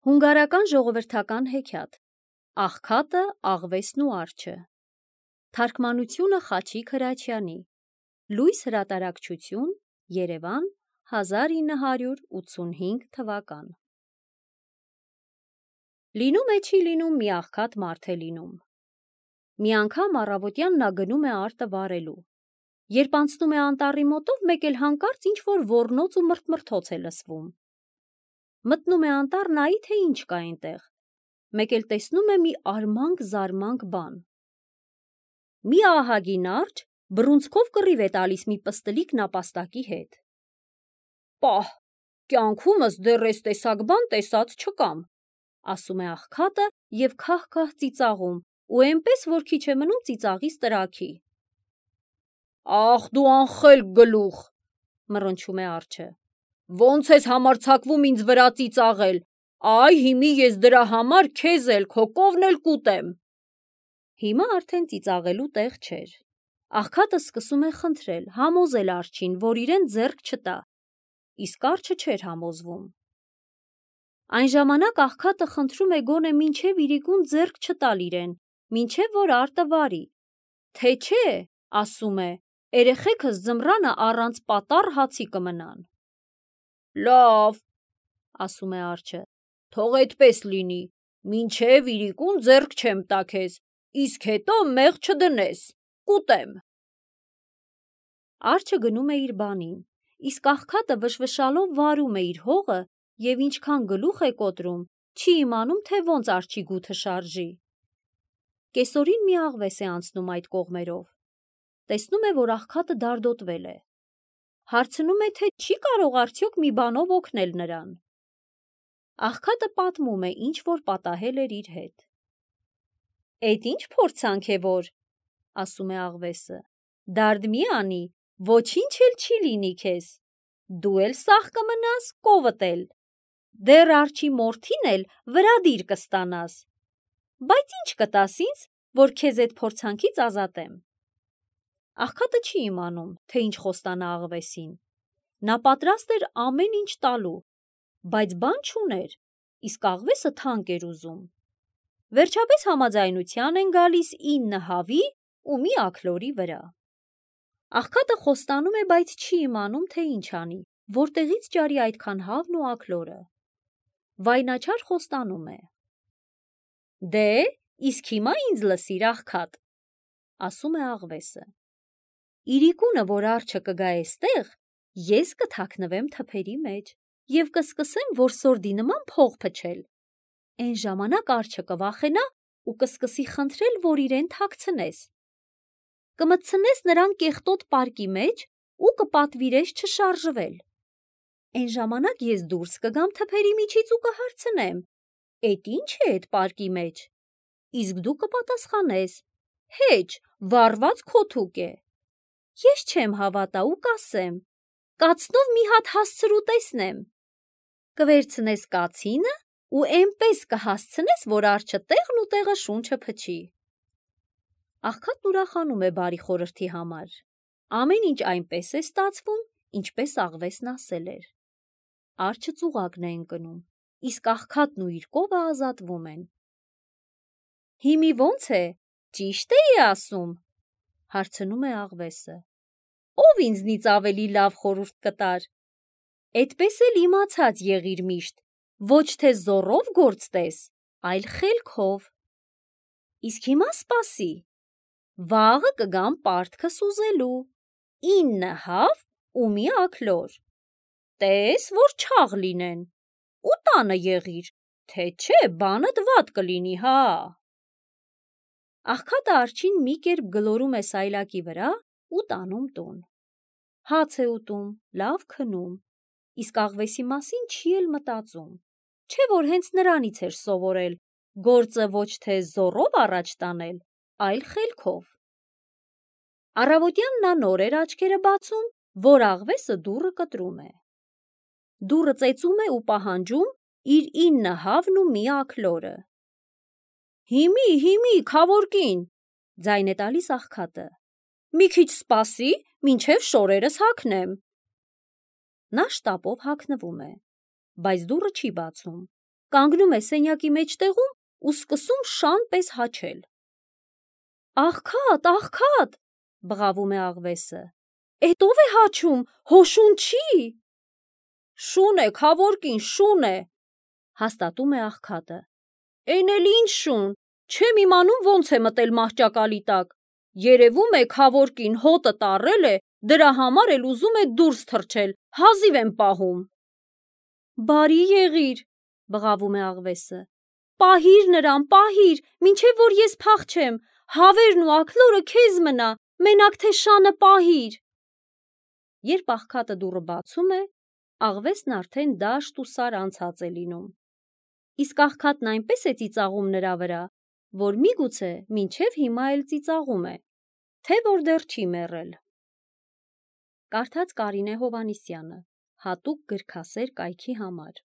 Հունգարական ժողովրդական հեքիաթ Աղքատը, աղվեսն ու արջը Թարգմանությունը Խաչիկ Հրաչյանի Լույս հրատարակչություն Երևան 1985 թվական Լինում է չի լինում մի աղքատ մարդ է լինում։ Մի անգամ առավոտյան նա գնում է արտը վարելու։ Երբ անցնում է անտառի մոտով, մեկ էլ հանկարծ ինչ-որ ոռնոց ու մրթմրթոց է լսվում։ Մտնում է անտառ նայի, թե ինչ կա այնտեղ, մեկ էլ տեսնում է մի արմանք-զարմանք բան։ Մի ահագին արջ բռունցքով կռիվ է տալիս մի պստլիկ նապաստակի հետ։ «Պահ, կյանքումս դեռ էս տեսակ բան տեսած չկամ», ասում է աղքատը և քահ-քահ ծիծաղում ու էնպես, որ քիչ է մնում ծիծաղից տրաքի։ «Ախ դու անխելք գլուխ», մռնչում է արջը, «ոնց ես համարձակվում ինձ վրա ծիծաղել, այ հիմի ես դրա համար քեզ էլ քո կովն էլ կուտեմ»։ Հիմա արդեն ծիծաղելու տեղ չէր։ Աղքատը սկսում է խնդրել, համոզել արջին, որ իրեն ձեռք չտա, իսկ արջը չէր համոզվում։ Այն ժամանակ աղքատը խնդրում է գոնե մինչև իրիկուն ձեռք չտալ իրեն, մինչև որ արտը վարի, թե չէ, ասում է, երեխեքս ձմռանը առանց պատառ հացի կմնան։ «Լավ», ասում է արջը, «թող էդպես լինի, մինչև իրիկուն ձեռք չեմ տա քեզ, իսկ հետո մեղ չդնես, կուտեմ»։ Արջը գնում է իր բանին, իսկ աղքատը վշվշալով վարում է իր հողը և ինչքան գլուխ է կոտրում, չի իմանում, թե ոնց արջի գութը շարժի։ Կեսօրին մի աղվես է անցնում այդ կողմերով։ Տեսնում է, որ աղքատը դարդոտվել է։ Հարցնում է, թե չի կարող արդյոք մի բանով օգնել նրան։ Աղքատը պատմում է, ինչ որ պատահել էր իր հետ։ «Էդ ինչ փորձանք է որ», ասում է աղվեսը, «դարդ մի անի, ոչինչ էլ չի լինի քեզ, դու էլ սաղ կմնաս, կովդ էլ, դեռ արջի մորթին էլ վրադիր կստանաս, բայց ինչ կտաս ինձ, որ քեզ էդ փորձանքից ազատեմ»։ Աղքատը չի իմանում, թե ինչ խոստանա աղվեսին։ Նա պատրաստ էր ամեն ինչ տալու, բայց բան չուներ, իսկ աղվեսը թանկ էր ուզում։ Վերջապես համաձայնության են գալիս 9 հավի ու մի աքլորի վրա։ Աղքատը խոստանում է, բայց չի իմանում, թե ինչ անի, որտեղից ճարի այդքան հավն ու աքլորը։ Վայնաչար խոստանում է. «Դե, իսկ հիմա ինձ լսիր, աղքատ», ասում է աղվեսը։ «Իրիկունը, որ արջը կգա էստեղ, ես կթաքնվեմ թփերի մեջ և կսկսեմ որսորդի նման փող փչել։ Էն ժամանակ արջը կվախենա ու կսկսի խնդրել, որ իրեն թաքցնես։ Կմտցնես նրան կեղտոտ պարկի մեջ ու կպատվիրես չշարժվել։ Էն ժամանակ ես դուրս կգամ թփերի միջից ու կհարցնեմ. «Էդ ինչ է էդ պարկի մեջ»։ Իսկ դու կպատասխանես. «Հեչ, վառված քոթուկ է»։ Ես չեմ հավատա ու կասեմ. «Կացնով մի հատ հասցրու տեսնեմ»։ Կվերցնես կացինը ու էնպես կհասցնես, որ արջը տեղն ու տեղը շունչը փչի։ Աղքատն ուրախանում է բարի խորհրդի համար։ Ամեն ինչ այնպես է ստացվում, ինչպես աղվեսն ասել էր։ Արջը ծուղակն է ընկնում, իսկ աղքատն ու իր կովը ազատվում են։ «Հիմի ոնց է, ճիշտ էի ասում», հարցնում է աղվեսը։ «Ով ինձնից ավելի լավ խորհուրդ կտար»։ «Էդպես էլ իմացած եղիր միշտ, ոչ թե զոռով գործ տես, այլ խելքով»։ «Իսկ հիմա սպասի, վաղը կգամ պարտքս ուզելու, 9 հավ ու մի աքլոր, տես, որ չաղ լինեն, ու տանը եղիր, թե չէ բանդ վատ կլինի, հա»։ Աղքատը արջին մի կերպ գլորում է սայլակի վրա ու տանում տուն։ Հաց է ուտում, լավ քնում, իսկ աղվեսի մասին չի էլ մտածում, չէ որ հենց նրանից էր սովորել գործը ոչ թե զոռով առաջ տանել, այլ խելքով։ Առավոտյան նա նոր էր աչքերը բացում, որ աղվեսը դուռը կտրում է։ Դուռը ծեծում է ու պահանջում իր 9 հավն ու մի աքլորը։ «Հիմի, քավոր կին», ձայն է տալիս աղքատը, «մի քիչ սպասի, մինչև շորերս հագնեմ»։ Նա շտապով հագնվում է, բայց դուռը չի բացում։ կանգնում է սենյակի մեջտեղում ու սկսում շան պես հաչել։ «Աղքատ, աղքատ», բղավում է աղվեսը, «էդ ով է հաչում, հո շուն չի»։ «Շուն է, քավոր կին, շուն է», հաստատում է աղքատը։ «Էն էլ ինչ շուն, չեմ իմանում ոնց է մտել մահճակալի տակ, երևում է քավոր կին հոտը տառել է, դրա համար էլ ուզում է դուրս թռչել, հազիվ եմ պահում»։ «Բարի եղիր», բղավում է աղվեսը, «պահիր նրան, պահիր, մինչև որ ես փախչեմ, հավերն ու աքլորը քեզ մնա, մենակ թե շանը պահիր»։ Երբ աղքատը դուռը բացում է, աղվեսն արդեն դաշտ ու սար անցած է լինում, իսկ աղքատն այնպես է ծիծաղում նրա վրա, որ միգուցե մինչև հիմա էլ ծիծաղում է, թե որ դեռ չի մեռել։ Կարդաց Կարինե Հովհաննիսյանը, հատուկ գրքասեր կայքի համար։